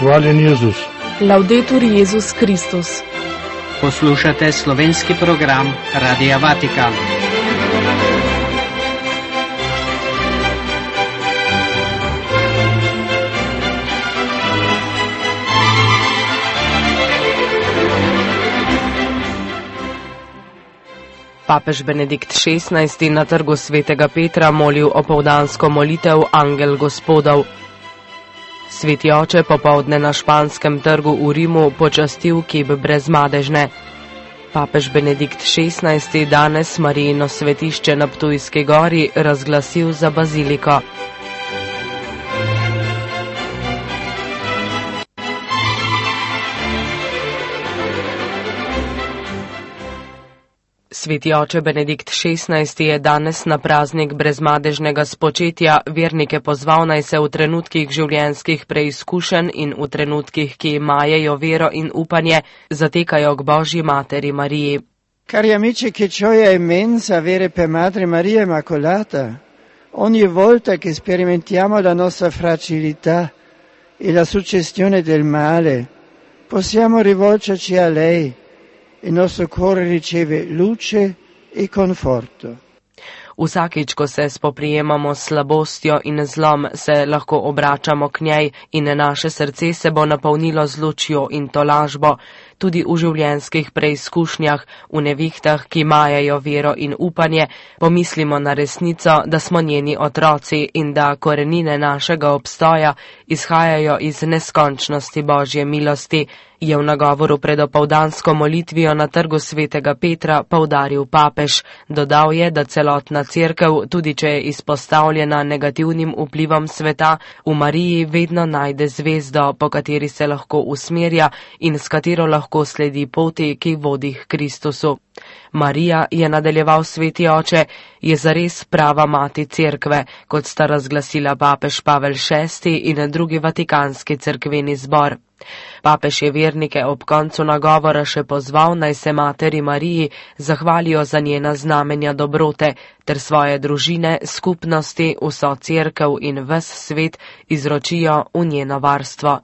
Hvaljen Jezus. Laudetur Jezus Kristus. Poslušate slovenski program Radia Vatikan. Papež Benedikt XVI na trgu svetega Petra molil opoldansko molitev Angel Gospodov. Sveti oče popoldne na Španskem trgu v Rimu počastil kip Brezmadežne. Papež Benedikt XVI danes Marijino svetišče na Ptujski gori razglasil za baziliko. Sveti oče Benedikt XVI je danes na praznik brezmadežnega spočetja vernike pozval, naj se v trenutkih življenjskih preizkušenj in v trenutkih, ki imajo vero in upanje, zatekajo k Božji materi Mariji. Cari amici, che gioia immensa avere per Madre Maria Immacolata. Ogni volta che sperimentiamo la nostra fragilità e la suggestione del male, possiamo rivolgerci a lei. Il nostro cuore riceve luce e conforto. Vsakič, ko se spoprijemamo s slabostjo in zlom, se lahko obračamo k njej in naše srce se bo napolnilo z lučjo in tolažbo. Tudi v življenjskih preizkušnjah, v nevihtah, ki majajo vero in upanje, pomislimo na resnico, da smo njeni otroci in da korenine našega obstoja izhajajo iz neskončnosti Božje milosti, je v nagovoru pred opoldansko molitvijo na trgu svetega Petra poudaril papež. Dodal je, da celotna cerkev, tudi če je izpostavljena negativnim vplivom sveta, v Mariji vedno najde zvezdo, po kateri se lahko usmerja in s katero lahko sledi poti, ki vodi k Kristusu. Marija, je nadaljeval sveti oče, je zares prava mati cerkve, kot sta razglasila papež Pavel VI in drugi vatikanski cerkveni zbor. Papež je vernike ob koncu nagovora še pozval, naj se materi Mariji zahvalijo za njena znamenja dobrote, ter svoje družine, skupnosti, vso cerkev in ves svet izročijo v njeno varstvo.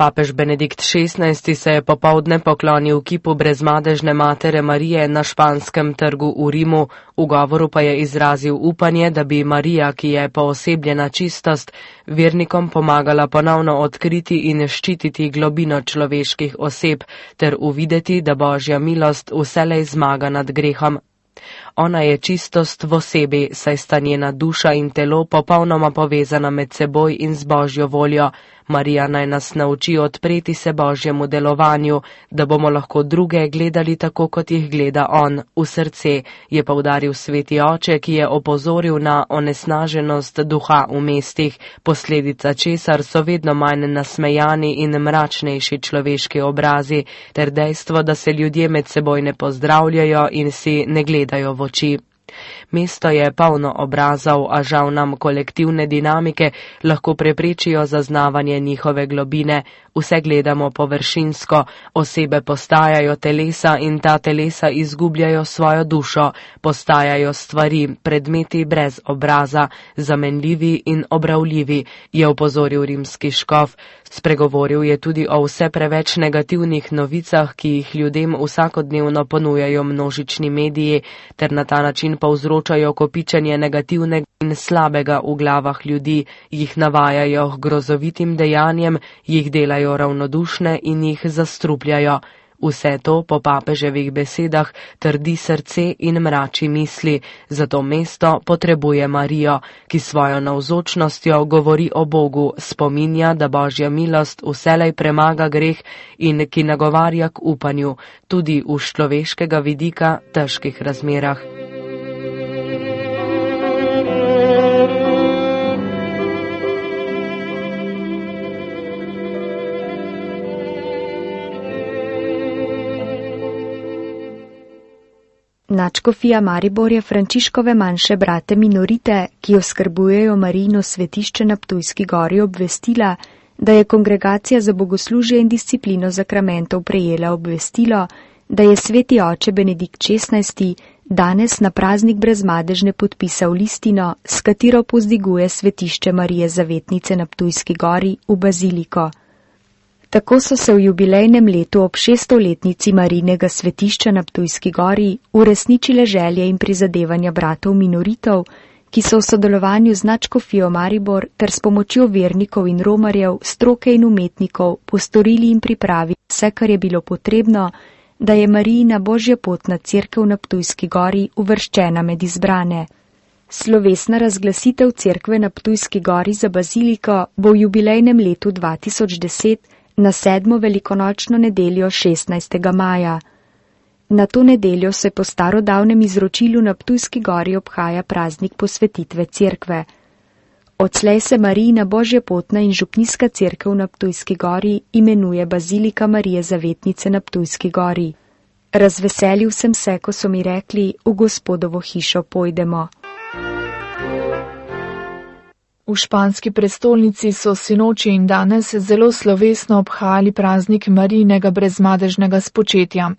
Papež Benedikt XVI se je popoldne poklonil kipu brezmadežne matere Marije na Španskem trgu v Rimu, v govoru pa je izrazil upanje, da bi Marija, ki je poosebljena čistost, vernikom pomagala ponovno odkriti in ščititi globino človeških oseb ter uvideti, da Božja milost vselej zmaga nad grehom. Ona je čistost v osebi, saj sta njena duša in telo popolnoma povezana med seboj in z Božjo voljo. Marija naj nas nauči odpreti se Božjemu delovanju, da bomo lahko druge gledali tako, kot jih gleda on, v srce, je poudaril sveti oče, ki je opozoril na onesnaženost duha v mestih, posledica česar so vedno manj nasmejani in mračnejši človeški obrazi, ter dejstvo, da se ljudje med seboj ne pozdravljajo in si ne gledajo v oči. Mesto je polno obrazov, a žal nam kolektivne dinamike lahko preprečijo zaznavanje njihove globine. Vse gledamo površinsko, osebe postajajo telesa in ta telesa izgubljajo svojo dušo, postajajo stvari, predmeti brez obraza, zamenljivi in obravljivi, je opozoril rimski škof. Spregovoril je tudi o vse preveč negativnih novicah, ki jih ljudem vsakodnevno ponujajo množični mediji, ter na ta način povzročajo kopičenje negativnega in slabega v glavah ljudi, jih navajajo k grozovitim dejanjem, jih delajo ravnodušne in jih zastrupljajo. Vse to, po papeževih besedah, trdi srce in mrači misli, zato mesto potrebuje Marijo, ki svojo navzočnostjo govori o Bogu, spominja, da Božja milost vselej premaga greh in ki nagovarja k upanju, tudi v človeškega vidika težkih razmerah. Nadškofija Maribor je Frančiškove manjše brate minorite, ki oskrbujejo Marijino svetišče na Ptujski gori, obvestila, da je Kongregacija za bogoslužje in disciplino zakramentov prejela obvestilo, da je sveti oče Benedikt XVI danes na praznik Brezmadežne podpisal listino, s katero povzdiguje svetišče Marije Zavetnice na Ptujski gori v baziliko. Tako so se v jubilejnem letu ob 600-letnici Marijinega svetišča na Ptujski gori uresničile želje in prizadevanja bratov minoritov, ki so v sodelovanju z Nadškofijo Maribor ter s pomočjo vernikov in romarjev, stroke in umetnikov postorili in pripravili vse, kar je bilo potrebno, da je Marijina božjepotna cerkev na Ptujski gori uvrščena med izbrane. Slovesna razglasitev cerkve na Ptujski gori za baziliko bo v jubilejnem letu 2010 na 7. velikonočno nedeljo 16. maja. Na to nedeljo se po starodavnem izročilu na Ptujski gori obhaja praznik posvetitve cerkve. Odslej se Marijina božjepotna in župnijska cerkev na Ptujski gori imenuje Bazilika Marije Zavetnice na Ptujski gori. Razveselil sem se, ko so mi rekli, v Gospodovo hišo pojdemo. V španski prestolnici so sinoči in danes zelo slovesno obhajali praznik Marijinega brezmadežnega spočetja.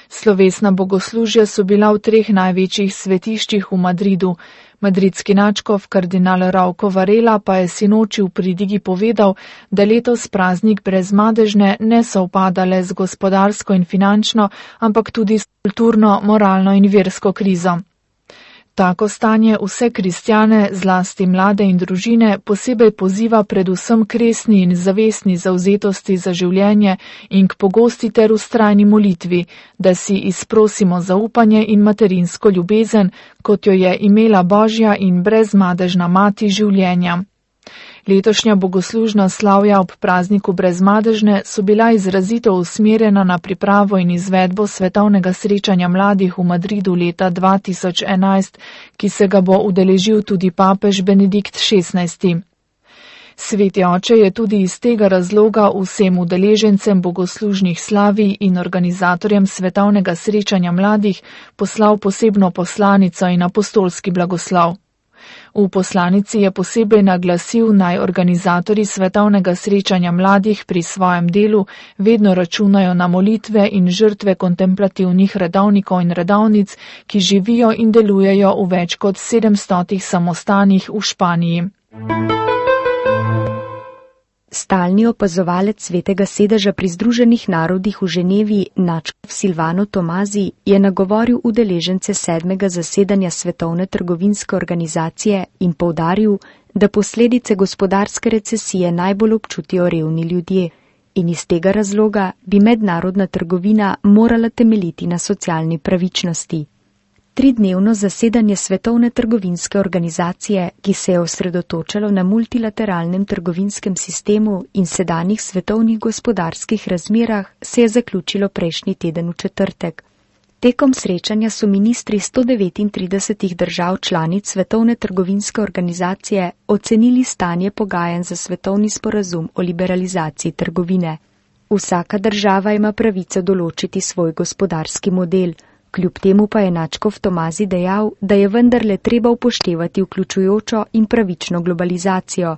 Slovesna bogoslužja so bila v 3 največjih svetiščih v Madridu. Madridski nadškof kardinal Rauco Varela pa je sinoči v pridigi povedal, da letos praznik brezmadežne ne sovpada le z gospodarsko in finančno, ampak tudi s kulturno, moralno in versko krizo. Tako stanje vse kristjane, zlasti mlade in družine, posebej poziva predvsem k resni in zavestni zavzetosti za življenje in k pogosti ter vztrajni molitvi, da si izprosimo zaupanje in materinsko ljubezen, kot jo je imela Božja in brezmadežna mati življenja. Letošnja bogoslužna slavja ob prazniku brezmadežne so bila izrazito usmerjena na pripravo in izvedbo svetovnega srečanja mladih v Madridu leta 2011, ki se ga bo udeležil tudi papež Benedikt XVI. Sveti oče je tudi iz tega razloga vsem udeležencem bogoslužnih slavij in organizatorjem svetovnega srečanja mladih poslal posebno poslanico in apostolski blagoslov. V poslanici je posebej naglasil, naj organizatorji svetovnega srečanja mladih pri svojem delu vedno računajo na molitve in žrtve kontemplativnih redovnikov in redovnic, ki živijo in delujejo v več kot 700 samostanih v Španiji. Stalni opazovalec Svetega sedeža pri Združenih narodih v Ženevi, nadškof Silvano Tomazi, je nagovoril udeležence 7. zasedanja Svetovne trgovinske organizacije in poudaril, da posledice gospodarske recesije najbolj občutijo revni ljudje in iz tega razloga bi mednarodna trgovina morala temeljiti na socialni pravičnosti. 3-dnevno zasedanje Svetovne trgovinske organizacije, ki se je osredotočalo na multilateralnem trgovinskem sistemu in sedanjih svetovnih gospodarskih razmerah, se je zaključilo prejšnji teden v četrtek. Tekom srečanja so ministri 139 držav članic Svetovne trgovinske organizacije ocenili stanje pogajanj za svetovni sporazum o liberalizaciji trgovine. Vsaka država ima pravico določiti svoj gospodarski model. Kljub temu pa je nadškof Tomazi dejal, da je vendarle treba upoštevati vključujočo in pravično globalizacijo,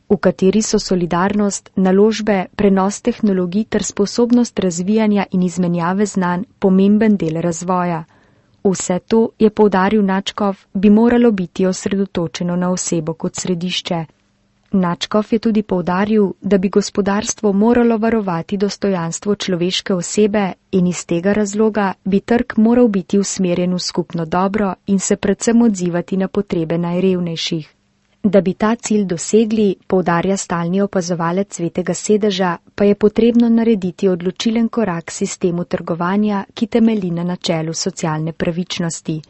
v kateri so solidarnost, naložbe, prenos tehnologij ter sposobnost razvijanja in izmenjave znanj pomemben del razvoja. Vse to, je poudaril nadškof, bi moralo biti osredotočeno na osebo kot središče. Nadškof je tudi poudaril, da bi gospodarstvo moralo varovati dostojanstvo človeške osebe in iz tega razloga bi trg moral biti usmerjen v skupno dobro in se predvsem odzivati na potrebe najrevnejših. Da bi ta cilj dosegli, poudarja stalni opazovalec Svetega sedeža, pa je potrebno narediti odločilen korak sistemu trgovanja, ki temelji na načelu socialne pravičnosti.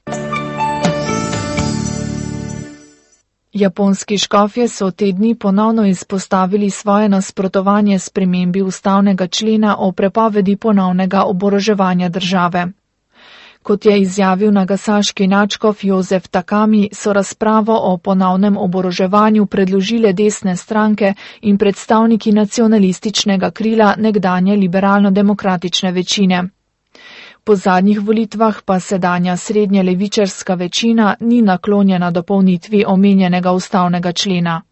Japonski škofje so te dni ponovno izpostavili svoje nasprotovanje spremembi ustavnega člena o prepovedi ponovnega oboroževanja države. Kot je izjavil nagasaški nadškof Jozef Takami, so razpravo o ponovnem oboroževanju predložile desne stranke in predstavniki nacionalističnega krila nekdanje liberalno-demokratične večine. Po zadnjih volitvah pa sedanja srednje levičarska večina ni naklonjena dopolnitvi omenjenega ustavnega člena.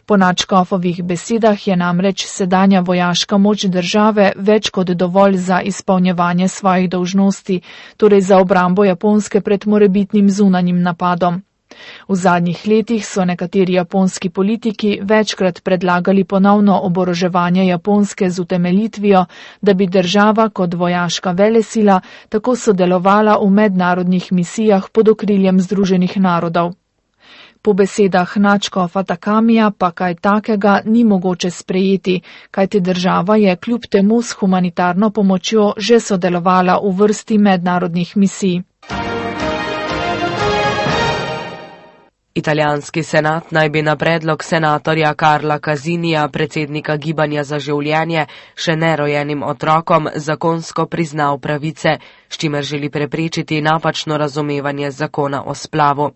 Po nadškofovih besedah je namreč sedanja vojaška moč države več kot dovolj za izpolnjevanje svojih dolžnosti, torej za obrambo Japonske pred morebitnim zunanjim napadom. V zadnjih letih so nekateri japonski politiki večkrat predlagali ponovno oboroževanje Japonske z utemeljitvijo, da bi država kot vojaška velesila tako sodelovala v mednarodnih misijah pod okriljem Združenih narodov. Po besedah nadškofa Takamija pa kaj takega ni mogoče sprejeti, kajti država je kljub temu s humanitarno pomočjo že sodelovala v vrsti mednarodnih misij. Italijanski senat naj bi na predlog senatorja Carla Casinija, predsednika Gibanja za življenje, še nerojenim otrokom zakonsko priznal pravice, s čimer želi preprečiti napačno razumevanje zakona o splavu.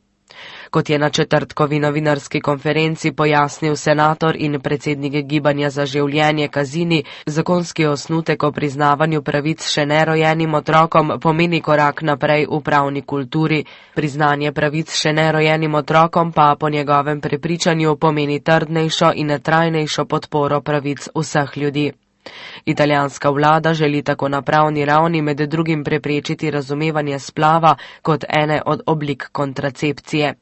Kot je na četrtkovi novinarski konferenci pojasnil senator in predsednik Gibanja za življenje Casini, zakonski osnutek o priznavanju pravic še nerojenim otrokom pomeni korak naprej v pravni kulturi. Priznanje pravic še nerojenim otrokom pa po njegovem prepričanju pomeni trdnejšo in trajnejšo podporo pravic vseh ljudi. Italijanska vlada želi tako na pravni ravni med drugim preprečiti razumevanje splava kot ene od oblik kontracepcije.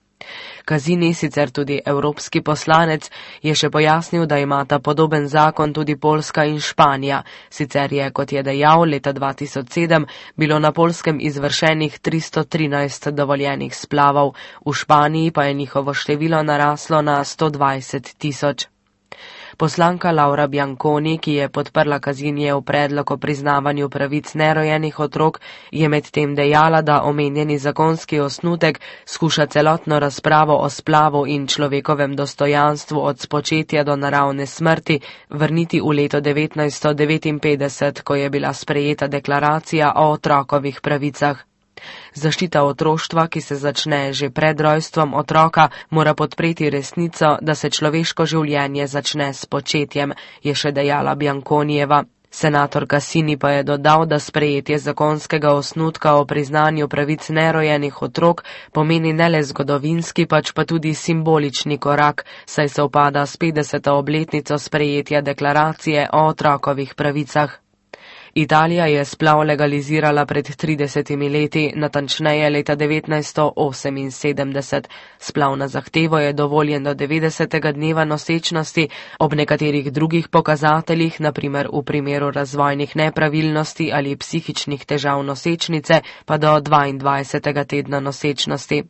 Casini, sicer tudi evropski poslanec, je še pojasnil, da imata podoben zakon tudi Poljska in Španija. Sicer je, kot je dejal, leta 2007 bilo na Poljskem izvršenih 313 dovoljenih splavov, v Španiji pa je njihovo število naraslo na 120 tisoč. Poslanka Laura Bianconi, ki je podprla Casinijev predlog o priznavanju pravic nerojenih otrok, je medtem dejala, da omenjeni zakonski osnutek skuša celotno razpravo o splavu in človekovem dostojanstvu od spočetja do naravne smrti vrniti v leto 1959, ko je bila sprejeta deklaracija o otrokovih pravicah. Zaščita otroštva, ki se začne že pred rojstvom otroka, mora podpreti resnico, da se človeško življenje začne s početjem, je še dejala Bianconijeva. Senator Casini pa je dodal, da sprejetje zakonskega osnutka o priznanju pravic nerojenih otrok pomeni ne le zgodovinski, pač pa tudi simbolični korak, saj se upada s 50. obletnico sprejetja deklaracije o otrokovih pravicah. Italija je splav legalizirala pred 30 leti, natančneje leta 1978. Splav na zahtevo je dovoljen do 90. dneva nosečnosti, ob nekaterih drugih pokazateljih, naprimer v primeru razvojnih nepravilnosti ali psihičnih težav nosečnice, pa do 22. tedna nosečnosti.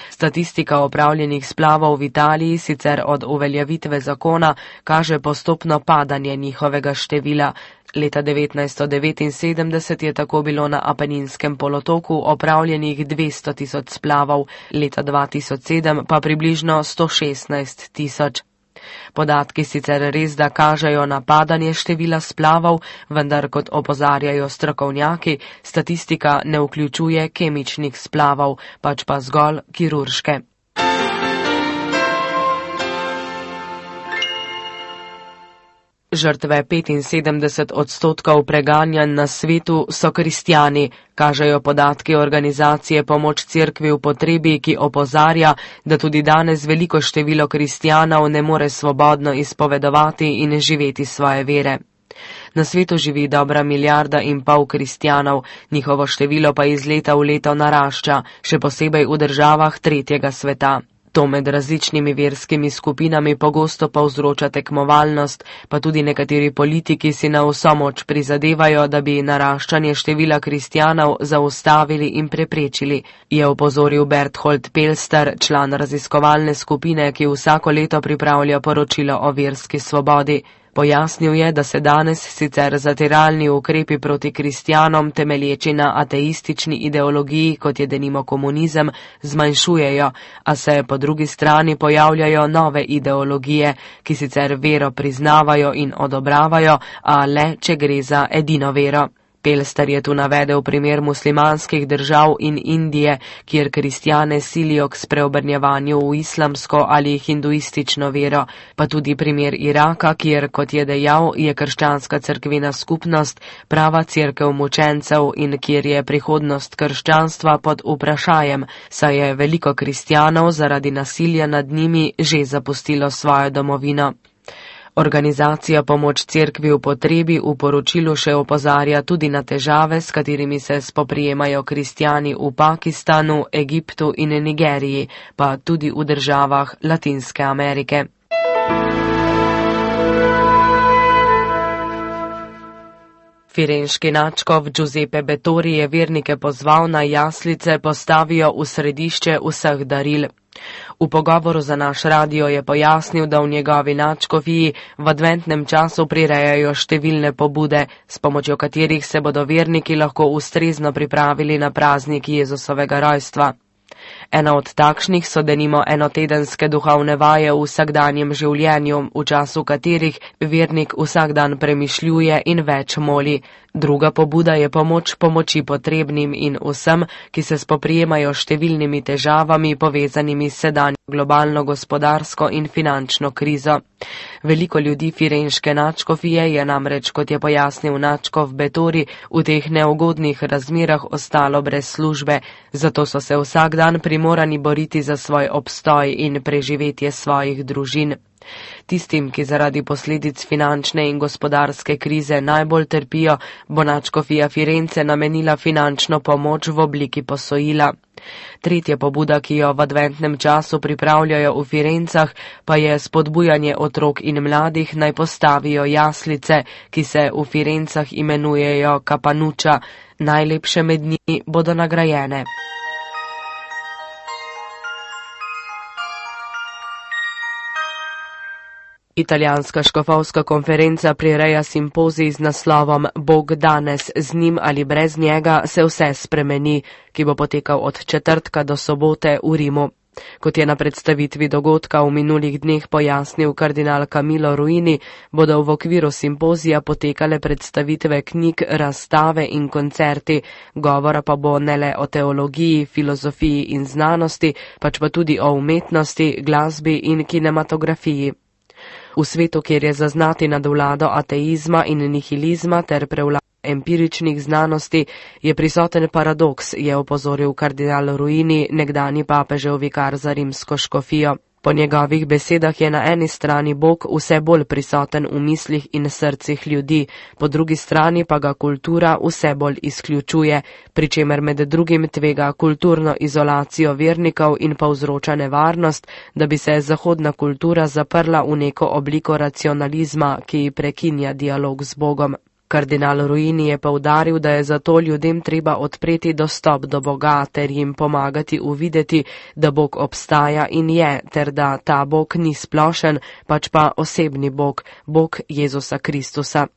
Statistika opravljenih splavov v Italiji sicer od uveljavitve zakona kaže postopno padanje njihovega števila. Leta 1979 je tako bilo na Apeninskem polotoku opravljenih 200 tisoč splavov, leta 2007 pa približno 116 tisoč. Podatki sicer res da kažejo na padanje števila splavov, vendar kot opozarjajo strokovnjaki, statistika ne vključuje kemičnih splavov, pač pa zgolj kirurške. Žrtve 75% preganjanj na svetu so kristjani, kažejo podatki organizacije Pomoč Cerkvi v potrebi, ki opozarja, da tudi danes veliko število kristjanov ne more svobodno izpovedovati in živeti svoje vere. Na svetu živi dobra 1,5 milijarde kristjanov, njihovo število pa iz leta v leto narašča, še posebej v državah tretjega sveta. To med različnimi verskimi skupinami pogosto povzroča tekmovalnost, pa tudi nekateri politiki si na vso moč prizadevajo, da bi naraščanje števila kristjanov zaustavili in preprečili, je opozoril Berthold Pelster, član raziskovalne skupine, ki vsako leto pripravlja poročilo o verski svobodi. Pojasnil je, da se danes sicer zatiralni ukrepi proti kristjanom, temelječi na ateistični ideologiji, kot je denimo komunizem, zmanjšujejo, a se po drugi strani pojavljajo nove ideologije, ki sicer vero priznavajo in odobravajo, a le, če gre za edino vero. Pelster je tu navedel primer muslimanskih držav in Indije, kjer kristjane silijo k spreobrnjevanju v islamsko ali hinduistično vero, pa tudi primer Iraka, kjer, kot je dejal, je krščanska cerkvena skupnost prava cerkev mučencev in kjer je prihodnost krščanstva pod vprašajem, saj je veliko kristjanov zaradi nasilja nad njimi že zapustilo svojo domovino. Organizacija Pomoč cerkvi v potrebi v poročilu še opozarja tudi na težave, s katerimi se spoprijemajo kristjani v Pakistanu, Egiptu in Nigeriji, pa tudi v državah Latinske Amerike. Firenški nadškof Giuseppe Bettori je vernike pozval, naj jaslice postavijo v središče vseh daril. V pogovoru za naš radio je pojasnil, da v njegovi nadškofiji v adventnem času prirejajo številne pobude, s pomočjo katerih se bodo verniki lahko ustrezno pripravili na praznik Jezusovega rojstva. Ena od takšnih so denimo enotedenske duhovne vaje v vsakdanjem življenju, v času katerih vernik vsak dan premišljuje in več moli. Druga pobuda je pomoč pomoči potrebnim in vsem, ki se spoprijemajo številnimi težavami povezanimi s sedanjo globalno gospodarsko in finančno krizo. Veliko ljudi firenške nadškofije je namreč, kot je pojasnil nadškof Bettori, v teh neugodnih razmerah ostalo brez službe, zato so se vsak dan primorani boriti za svoj obstoj in preživetje svojih družin. Tistim, ki zaradi posledic finančne in gospodarske krize najbolj trpijo, bo nadškofija Firence namenila finančno pomoč v obliki posojila. Tretja pobuda, ki jo v adventnem času pripravljajo v Firencah, pa je spodbujanje otrok in mladih naj postavijo jaslice, ki se v Firencah imenujejo kapanuča. Najlepše med njimi bodo nagrajene. Italijanska škofovska konferenca prireja simpozij z naslovom Bog danes, z njim ali brez njega se vse spremeni, ki bo potekal od četrtka do sobote v Rimu. Kot je na predstavitvi dogodka v minulih dneh pojasnil kardinal Camillo Ruini, bodo v okviru simpozija potekale predstavitve knjig, razstave in koncerti, govora pa bo ne le o teologiji, filozofiji in znanosti, pač pa tudi o umetnosti, glasbi in kinematografiji. V svetu, kjer je zaznati nadvlado ateizma in nihilizma ter prevlado empiričnih znanosti, je prisoten paradoks, je opozoril kardinal Ruini, nekdanji papežev vikar za rimsko škofijo. Po njegovih besedah je na eni strani Bog vse bolj prisoten v mislih in srcih ljudi, po drugi strani pa ga kultura vse bolj izključuje, pri čemer med drugim tvega kulturno izolacijo vernikov in povzroča nevarnost, da bi se zahodna kultura zaprla v neko obliko racionalizma, ki prekinja dialog z Bogom. Kardinal Ruini je poudaril, da je zato ljudem treba odpreti dostop do Boga ter jim pomagati uvideti, da Bog obstaja in je, ter da ta Bog ni splošen, pač pa osebni Bog, Bog Jezusa Kristusa.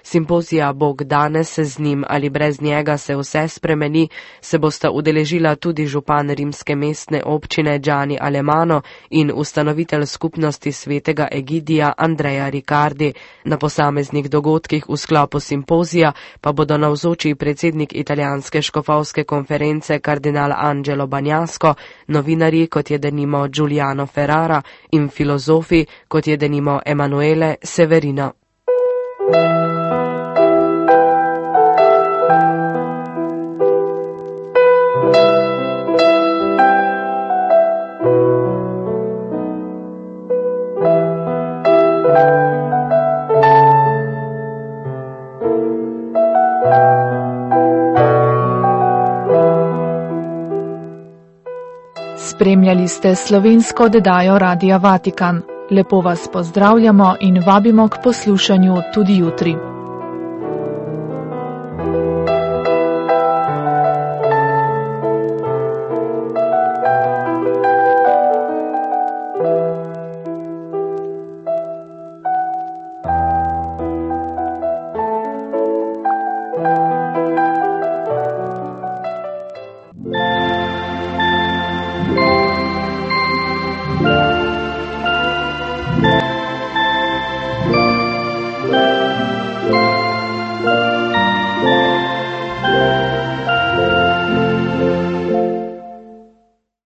Simpozija Bog danes, z njim ali brez njega se vse spremeni, se bosta udeležila tudi župan rimske mestne občine Gianni Alemano in ustanovitelj skupnosti svetega Egidija Andrea Riccardi. Na posameznih dogodkih v sklopu simpozija pa bodo navzoči predsednik italijanske škofovske konference kardinal Angelo Bagnasco, novinarji, kot je denimo Giuliano Ferrara, in filozofi, kot je denimo Emanuele Severino. Spremljali ste slovensko oddajo Radia Vatikan. Lepo vas pozdravljamo in vabimo k poslušanju tudi jutri.